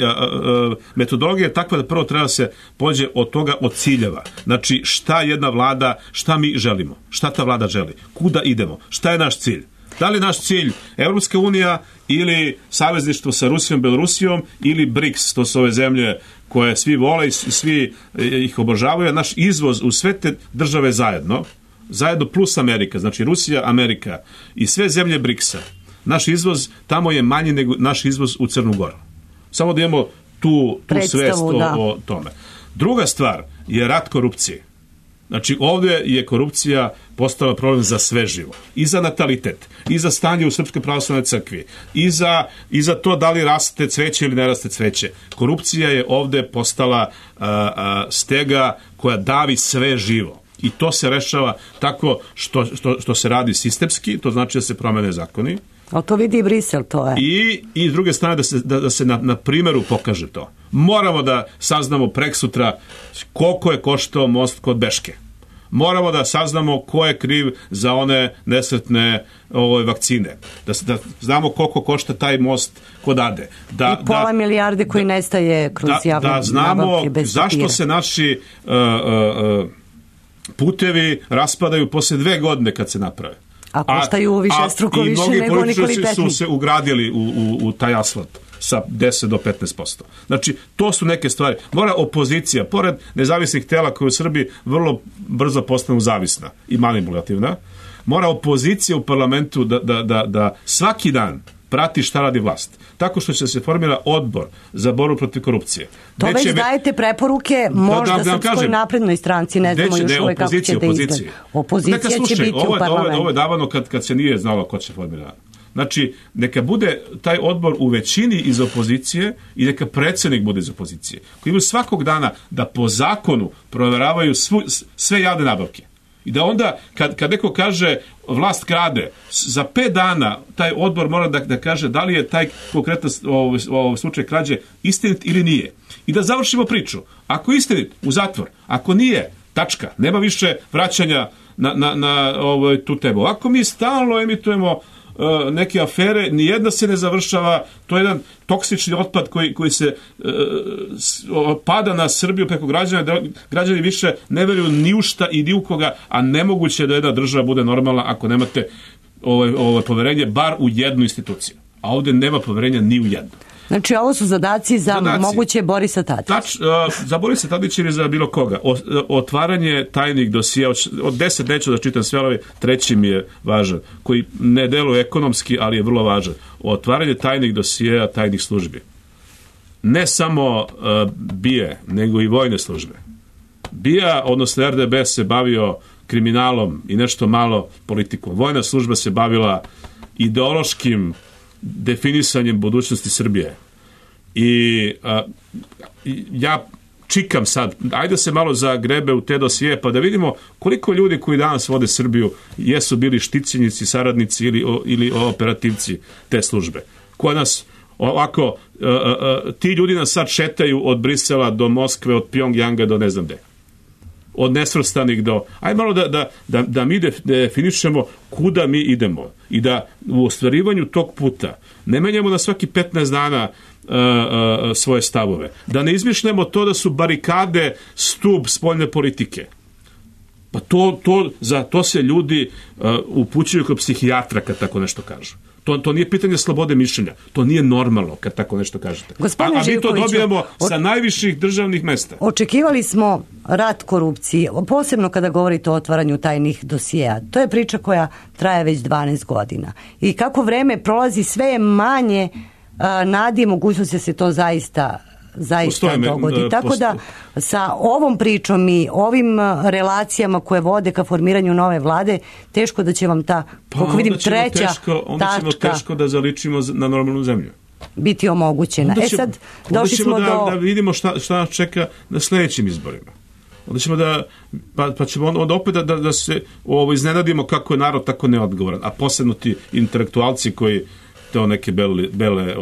metodologija je takva da prvo treba se pođe od toga, od ciljeva. Znači, šta jedna vlada, šta mi želimo? Šta ta vlada želi? Kuda idemo? Šta je naš cilj? Da li je naš cilj Evropska unija ili savezništvo sa Rusijom, Belorusijom ili BRICS, to su ove zemlje koje svi vole i svi ih obožavaju, naš izvoz u sve te države zajedno plus Amerika, znači Rusija, Amerika i sve zemlje BRICS-a, naš izvoz tamo je manji nego naš izvoz u Crnu Goru. Samo da imamo tu svest o tome. Druga stvar je rat korupcije. Znači, ovdje je korupcija postala problem za sve živo. I za natalitet, i za stanje u Srpskoj pravoslavnoj crkvi, i za to da li raste cveće ili ne raste cveće. Korupcija je ovdje postala stega koja davi sve živo. I to se rešava tako što se radi sistemski, to znači da se promene zakoni. Ali to vidi i Brisel, to je. I s druge strane da se na primjeru pokaže to. Moramo da saznamo preksutra koliko je koštao most kod Beške. Moramo da saznamo ko je kriv za one nesretne vakcine. Da znamo koliko košta taj most kod Ade. I pola milijarde koji nestaje kroz javne nabavke bez papira. Da znamo zašto se naši putevi raspadaju posle 2 godine kad se naprave. A koštaju višestruko više nego Nikoli Petnik. I mnogi političari su se ugradili u taj asfalt sa 10 do 15%. Znači, to su neke stvari. Mora opozicija, pored nezavisnih tela koje u Srbiji vrlo brzo postanu zavisna i manipulativna, mora opozicija u parlamentu da svaki dan prati šta radi vlast. Tako što će se formira odbor za borbu protiv korupcije. To već dajete preporuke možda Srpskoj naprednoj stranci, ne znamo još uvijek kako ćete izgledati. Opozicija će biti u parlamentu. Ovo je davano kad se nije znalo ko će formirati. Znači, neka bude taj odbor u većini iz opozicije i neka predsjednik bude iz opozicije. Koji imaju svakog dana da po zakonu proveravaju sve javne nabavke. I da onda, kad neko kaže vlast krade, za 5 dana taj odbor mora da kaže da li je taj konkretan slučaj krađe istinit ili nije. I da završimo priču. Ako je istinit, u zatvor. Ako nije, tačka. Nema više vraćanja na tu temu. Ovako mi stalno emitujemo neke afere, nijedna se ne završava, to je jedan toksični otpad koji se pada na Srbiju preko građana, da građani više ne veruju ni u šta i ni u koga, a nemoguće je da jedna država bude normalna ako nemate poverenje bar u jednu instituciju. A ovdje nema poverenja ni u jednu. Znači, ovo su zadaci za moguće Borisa Tadića. Za Borisa Tadića ili za bilo koga. Otvaranje tajnih dosija, od 10 neću da čitam sve, ali treći mi je važan, koji ne deluje ekonomski, ali je vrlo važan. Otvaranje tajnih dosija, tajnih službi. Ne samo BIA, nego i vojne službe. BIA, odnosno RDB, se bavio kriminalom i nešto malo politikom. Vojna služba se bavila ideološkim definisanjem budućnosti Srbije. I ja čikam sad, ajde se malo zagrebe u te dosije, pa da vidimo koliko ljudi koji danas vode Srbiju jesu bili štićenici, saradnici ili operativci te službe. Koja nas ovako, ti ljudi nas sad šetaju od Brisela do Moskve, od Pjongjanga do ne znam gde. Od nesvrstanih do... Ajde malo da mi definišemo kuda mi idemo i da u ostvarivanju tog puta ne menjamo na svaki 15 dana svoje stavove. Da ne izmišljamo to da su barikade stub spoljne politike. Pa za to se ljudi upućuju kod psihijatra kad tako nešto kažu. To nije pitanje slobode mišljenja. To nije normalno kad tako nešto kažete. A mi to dobijamo sa najviših državnih mesta. Očekivali smo rat korupcije, posebno kada govorite o otvaranju tajnih dosijeja. To je priča koja traje već 12 godina. I kako vreme prolazi, sve je manje nadi i mogućnosti da se to zaista dogodi. Tako da sa ovom pričom i ovim relacijama koje vode ka formiranju nove vlade, teško da će vam ta, kako vidim, treća tačka... Onda ćemo teško da zaličimo na normalnu zemlju. Biti omogućena. Sad došli smo da vidimo šta nas čeka na sledećim izborima. Onda ćemo pa ćemo onda opet da se iznenadimo kako je narod tako neodgovoran. A posebno ti intelektualci koji to neke bele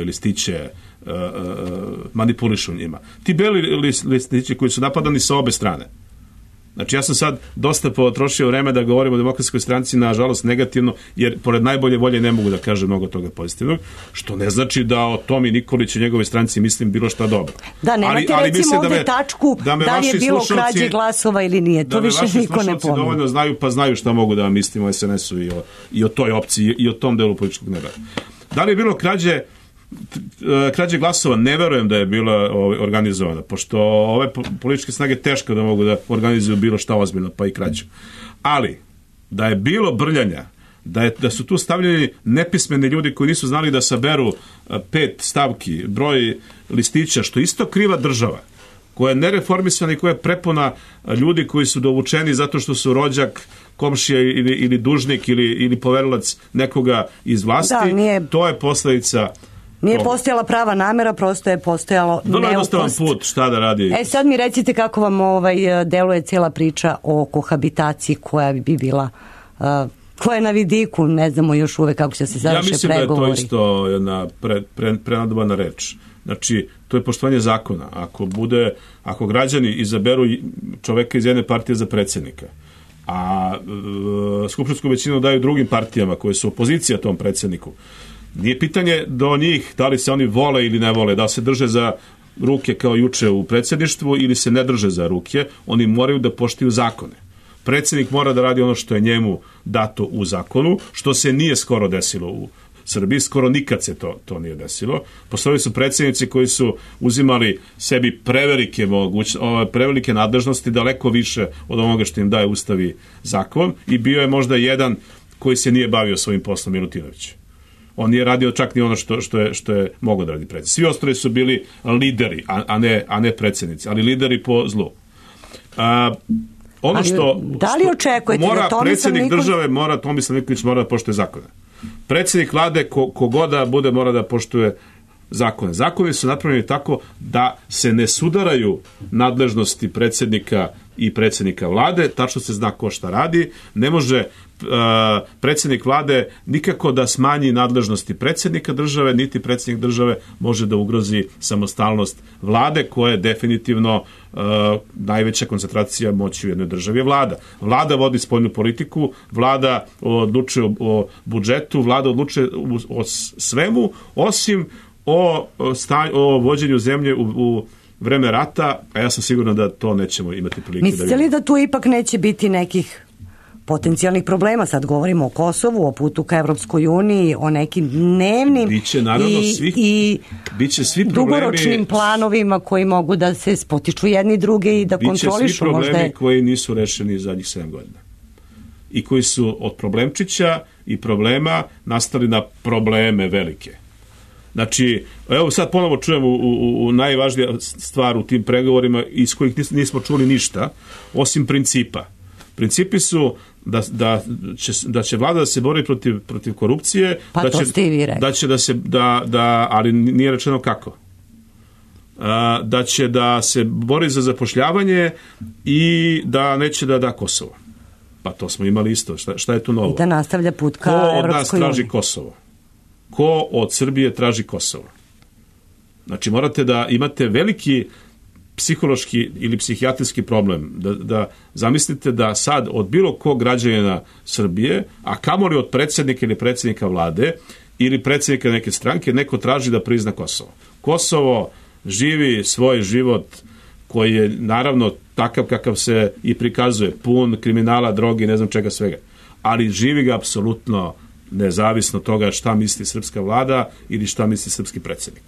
listiće manipulišu njima. Ti beli listići koji su napadani sa obe strane. Znači ja sam sad dosta potrošio vreme da govorim o Demokratskoj stranci, nažalost negativno, jer pored najbolje volje ne mogu da kažem mnogo toga pozitivnog, što ne znači da o Tomi Nikoliću i njegove stranci mislim bilo šta dobro. Da, nemate recimo ovde tačku da li je bilo krađe glasova ili nije. To više niko ne pominje. Da me vaši slušalci dovoljno znaju, pa znaju šta mogu da vam mislim o SNS-u i o toj opciji i o tom delu političkog neba. Da li je bilo krađe glasova? Ne verujem da je bila organizovana, pošto ove političke snage teško da mogu da organizuju bilo šta ozbiljno, pa i krađu. Ali, da je bilo brljanja, da su tu stavljeni nepismeni ljudi koji nisu znali da saberu 5 stavki, broj listića, što isto kriva država, koja je nereformisana i koja je prepuna ljudi koji su dovučeni zato što su rođak, komšija ili dužnik ili poverilac nekoga iz vlasti. To je posledica... Nije postojala prava namera, prosto je postojalo neukost. Vrlo jednostavan put, šta da radi. Sad mi recite kako vam deluje cijela priča o kohabitaciji koja bi bila, koja je na vidiku, ne znamo još uvek kako će se završe pregovori. Ja mislim da je to isto jedna prenadobana reč. Znači, to je poštovanje zakona. Ako građani izaberu čoveka iz jedne partije za predsjednika, a skupštinsku većinu daju drugim partijama koje su opozicija tom predsjedniku, nije pitanje do njih da li se oni vole ili ne vole, da se drže za ruke kao juče u predsjedništvu ili se ne drže za ruke, oni moraju da poštuju zakone. Predsjednik mora da radi ono što je njemu dato u zakonu, što se nije skoro desilo u Srbiji, skoro nikad se to nije desilo. Postojali su predsjednici koji su uzimali sebi prevelike nadležnosti, daleko više od onoga što im daje Ustav i zakon, i bio je možda jedan koji se nije bavio svojim poslom, Milutinović. On nije radio čak ni ono što je mogao da radi predsjednik. Svi ostali su bili lideri, a ne predsjednici, ali lideri po zlu. Da li očekujete da predsjednik države Tomislav Nikolić mora da poštuje zakone. Predsjednik vlade, kogoda bude, mora da poštuje zakone. Zakoni su napravljeni tako da se ne sudaraju nadležnosti predsjednika i predsjednika vlade, tačno se zna ko šta radi. Ne može predsjednik vlade nikako da smanji nadležnosti predsjednika države, niti predsjednik države može da ugrozi samostalnost vlade, koja je definitivno najveća koncentracija moći u jednoj državi je vlada. Vlada vodi spoljnu politiku, vlada odlučuje o budžetu, vlada odlučuje o svemu, osim o vođenju zemlje u vreme rata, a ja sam siguran da to nećemo imati prilike. Mislite li da tu ipak neće biti nekih potencijalnih problema. Sad govorimo o Kosovu, o putu ka Evropskoj uniji, o nekim dnevnim biće svi dugoročnim planovima koji mogu da se spotiču jedni druge i da kontrolišu. Biće svi problemi koji nisu rešeni zadnjih 7 godina. I koji su od problemčića i problema nastali na probleme velike. Znači, evo sad ponovo čujemo u najvažnija stvar u tim pregovorima iz kojih nismo čuli ništa, osim principa. Principi su da će vlada da se bori protiv korupcije, pa da će ali nije rečeno kako. Da će da se bori za zapošljavanje i da neće da da Kosovo. Pa to smo imali isto. Šta je tu novo? I da nastavlja put ka Evropskoj uniji. Ko od nas traži Kosovo? Ko od Srbije traži Kosovo? Znači, morate da imate veliki psihološki ili psihijatrijski problem. Da zamislite da sad od bilo kog građanina Srbije, a kamoli od predsjednika ili predsjednika vlade ili predsjednika neke stranke, neko traži da prizna Kosovo. Kosovo živi svoj život koji je naravno takav kakav se i prikazuje, pun kriminala, drogi, ne znam čega svega. Ali živi ga apsolutno nezavisno toga šta misli srpska vlada ili šta misli srpski predsjednik.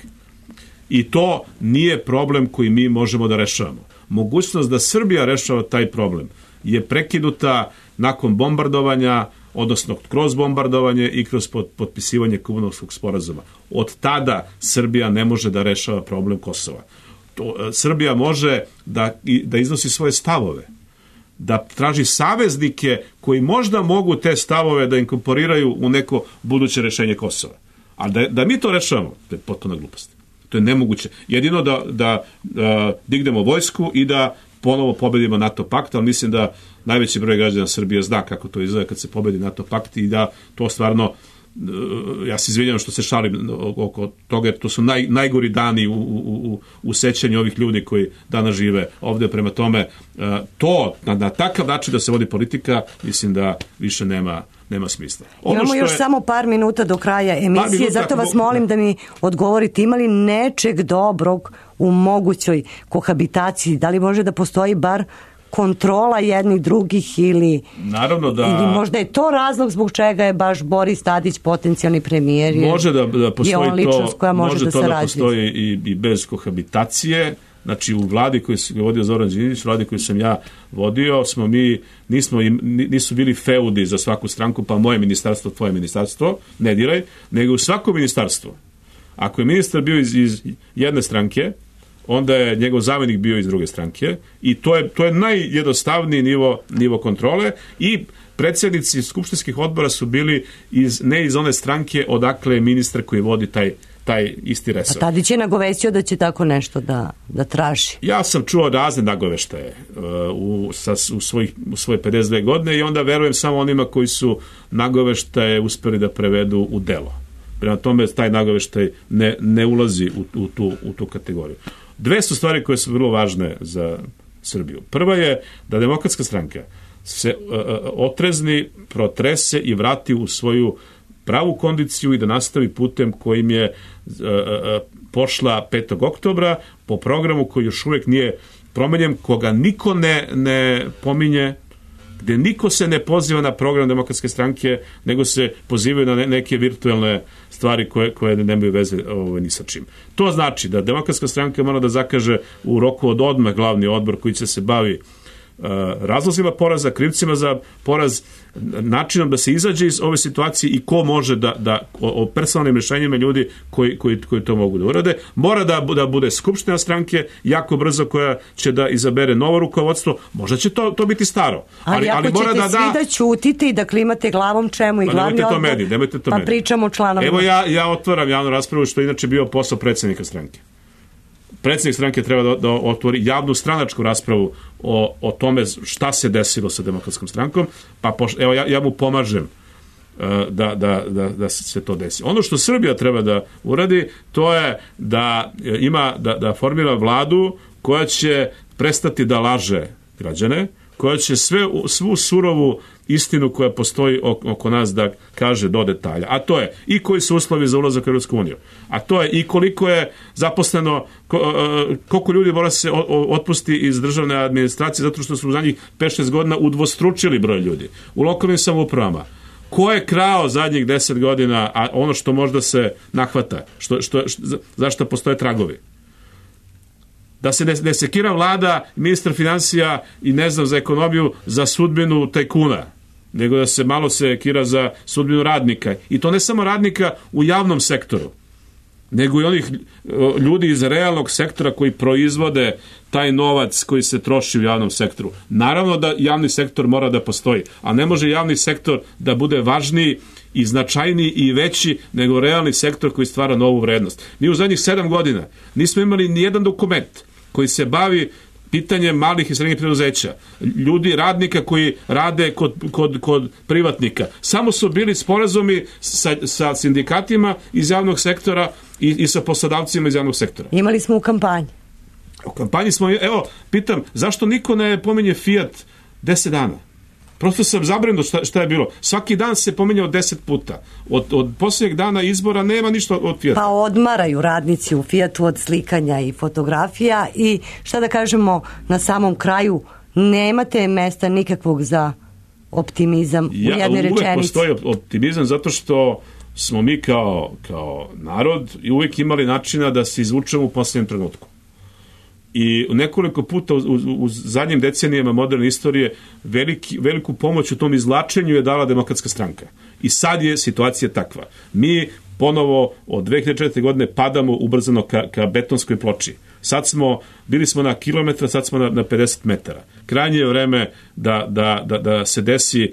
I to nije problem koji mi možemo da rešavamo. Mogućnost da Srbija rešava taj problem je prekinuta nakon bombardovanja, odnosno kroz bombardovanje i kroz potpisivanje Kumanovskog sporazuma. Od tada Srbija ne može da rešava problem Kosova. Srbija može da iznosi svoje stavove, da traži saveznike koji možda mogu te stavove da inkorporiraju u neko buduće rešenje Kosova. Ali da mi to rešavamo, to je potpuna glupost. To je nemoguće. Jedino da dignemo vojsku i da ponovo pobedimo NATO pakt, ali mislim da najveći broj građana Srbije zna kako to izgleda kad se pobedi NATO pakt i da to stvarno, ja se izvinjam što se šalim oko toga, jer to su najgori dani u sećanju ovih ljudi koji danas žive ovdje. Prema tome, to na takav način da se vodi politika, mislim da više nema smisla. Imamo još samo par minuta do kraja emisije, zato vas molim da mi odgovorite, ima li nečeg dobrog u mogućoj kohabitaciji? Da li može da postoji bar kontrola jednih drugih ili možda je to razlog zbog čega je baš Boris Tadić potencijalni premijer? Može da postoji to, može to da postoji i bez kohabitacije. Znači u vladi koju je vodio Zoran Đinđić, vladi koju sam ja vodio, nisu bili feudi za svaku stranku, pa moje ministarstvo, tvoje ministarstvo, ne diraj, nego u svako ministarstvo. Ako je ministar bio iz jedne stranke, onda je njegov zamjenik bio iz druge stranke i to je najjednostavniji nivo kontrole i predsjednici skupštinskih odbora su bili ne iz one stranke odakle je ministar koji vodi taj isti resor. A Tadić je nagovestio da će tako nešto da traži. Ja sam čuo razne nagoveštaje u svoje 52 godine i onda verujem samo onima koji su nagoveštaje uspeli da prevedu u delo. Prema tome, taj nagoveštaj ne ulazi u tu kategoriju. Dve su stvari koje su vrlo važne za Srbiju. Prva je da Demokratska stranka se otrezni, protrese i vrati u svoju pravu kondiciju i da nastavi putem kojim je pošla 5. oktobra po programu koji još uvijek nije promenjen, koga niko ne pominje, gdje niko se ne poziva na program Demokratske stranke, nego se pozivaju na neke virtualne stvari koje nemaju veze ni sa čim. To znači da Demokratska stranka mora da zakaže u roku od odmah glavni odbor koji će se bavi razlozima poraza, krivcima za poraz, načinom da se izađe iz ove situacije i ko može o personalnim rješenjima ljudi koji to mogu da urade. Mora da bude skupština stranke jako brzo koja će da izabere novo rukovodstvo. Možda će to biti staro. Ali ako ćete svi da ćutite i da klimate glavom, čemu i glavni odbor? Nemojte to meni. Pričamo o članovima. Evo ja otvaram javnu raspravu, što je inače bio posao predsjednika stranke. Predsjednik stranke treba da otvori javnu stranačku raspravu o tome šta se desilo sa Demokratskom strankom, pa evo ja mu pomažem da se to desi. Ono što Srbija treba da uradi, to je da formira vladu koja će prestati da laže građane, koja će svu surovu istinu koja postoji oko nas da kaže do detalja. A to je i koji su uslovi za ulazak u Europsku uniju. A to je i koliko je zaposleno, koliko ljudi mora se otpusti iz državne administracije zato što su u zadnjih 5-6 godina udvostručili broj ljudi. U lokalnim samoupravama. Ko je krao zadnjih 10 godina, a ono što možda se nahvata, zašto postoje tragovi? Da se ne sekira vlada, ministar financija i ne znam za ekonomiju za sudbinu tajkuna, nego da se malo sekira za sudbinu radnika. I to ne samo radnika u javnom sektoru, nego i onih ljudi iz realnog sektora koji proizvode taj novac koji se troši u javnom sektoru. Naravno da javni sektor mora da postoji, a ne može javni sektor da bude važniji i značajniji i veći nego realni sektor koji stvara novu vrednost. Mi u zadnjih 7 godina nismo imali ni jedan dokument koji se bavi pitanjem malih i srednjih preduzeća, ljudi, radnika koji rade kod privatnika. Samo su bili sporazumi sa sindikatima iz javnog sektora i sa poslodavcima iz javnog sektora. Imali smo u kampanji. U kampanji smo, pitam, zašto niko ne pominje Fiat 10 dana? Prosto sam zabrinut šta je bilo. Svaki dan se pominjao 10 puta. Od posljednjeg dana izbora nema ništa od Fijata. Pa odmaraju radnici u Fijatu od slikanja i fotografija i šta da kažemo na samom kraju, nemate mesta nikakvog za optimizam u jednoj rečenici. Uvek postoji optimizam zato što smo mi kao narod i uvijek imali načina da se izvučemo u posljednjem trenutku. I nekoliko puta u zadnjim decenijama moderne istorije veliku pomoć u tom izvlačenju je dala Demokratska stranka. I sad je situacija takva. Mi ponovo od 2004. godine padamo ubrzano ka betonskoj ploči. Bili smo na kilometra, sad smo na 50 metara. Krajnje je vreme da se desi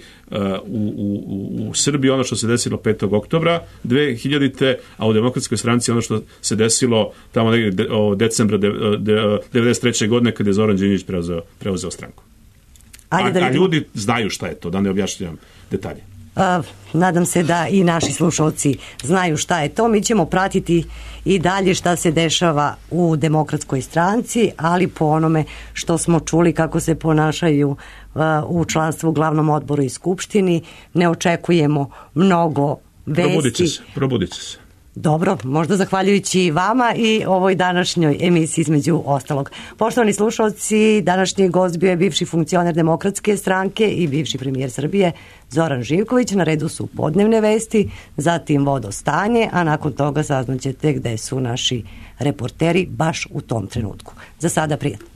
u Srbiji ono što se desilo 5. oktobra 2000. a u Demokratskoj stranci ono što se desilo tamo negdje decembra 1993. godine kad je Zoran Đinđić preuzeo stranku. A ljudi znaju šta je to, da ne objašnjavam detalje. Nadam se da i naši slušalci znaju šta je to. Mi ćemo pratiti i dalje šta se dešava u Demokratskoj stranci, ali po onome što smo čuli kako se ponašaju u članstvu u glavnom odboru i skupštini, ne očekujemo mnogo vesti. Probudit će se. Dobro, možda zahvaljujući vama i ovoj današnjoj emisiji između ostalog. Poštovani slušalci, današnji gost bio je bivši funkcioner Demokratske stranke i bivši premijer Srbije Zoran Živković. Na redu su podnevne vesti, zatim vodostanje, a nakon toga saznaćete gde su naši reporteri baš u tom trenutku. Za sada prijatno.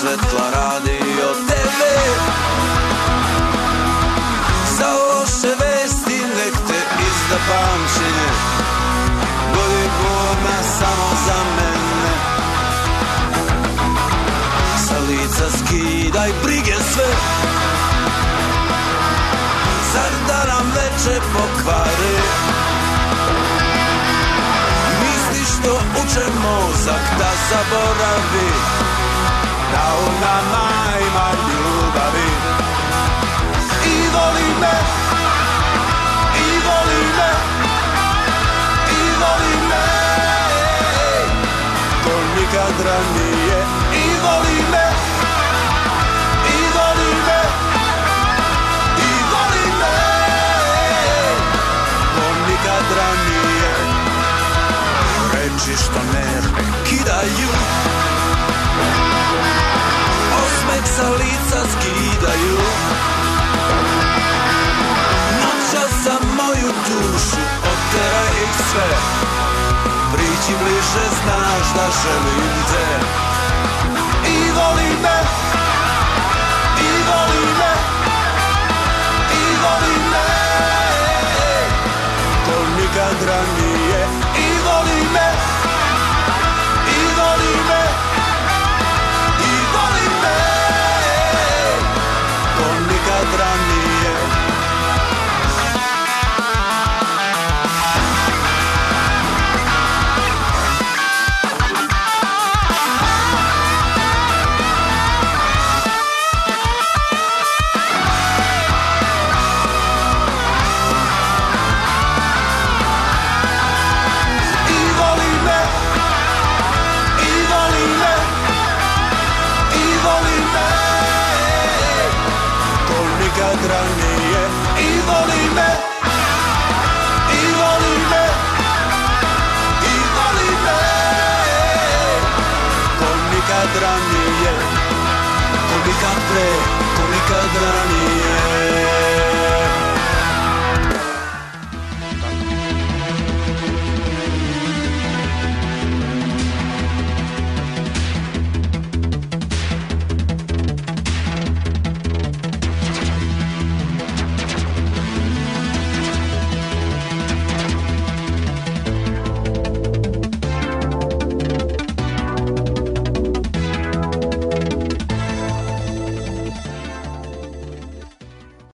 Svetla radi o tebe, za loše vesti nek te izda pamćenje, bolje godina samo za mene. Sa lica skidaj brige sve, zar da nam veče pokvari. Misliš što uče mozak da zaboravi, da u nama ima ljubavi. I voli me, i voli me, i voli me, to nikad ranije. I voli me, i voli me, i voli me, to nikad ranije. Reči što nerve kidaju, osmeh sa lica skidaju, noćas za moju dušu oteraj ih sve, priđi bliže, znaš da želim te. I voli me, i voli me, i voli me, to nikad ranije. I voli me, i voli me, i voli me, to nikad ranije. nikad ranije. I voli me, i voli me, i voli me, ko nikad ranije, ko nikad pre, ko nikad ranije.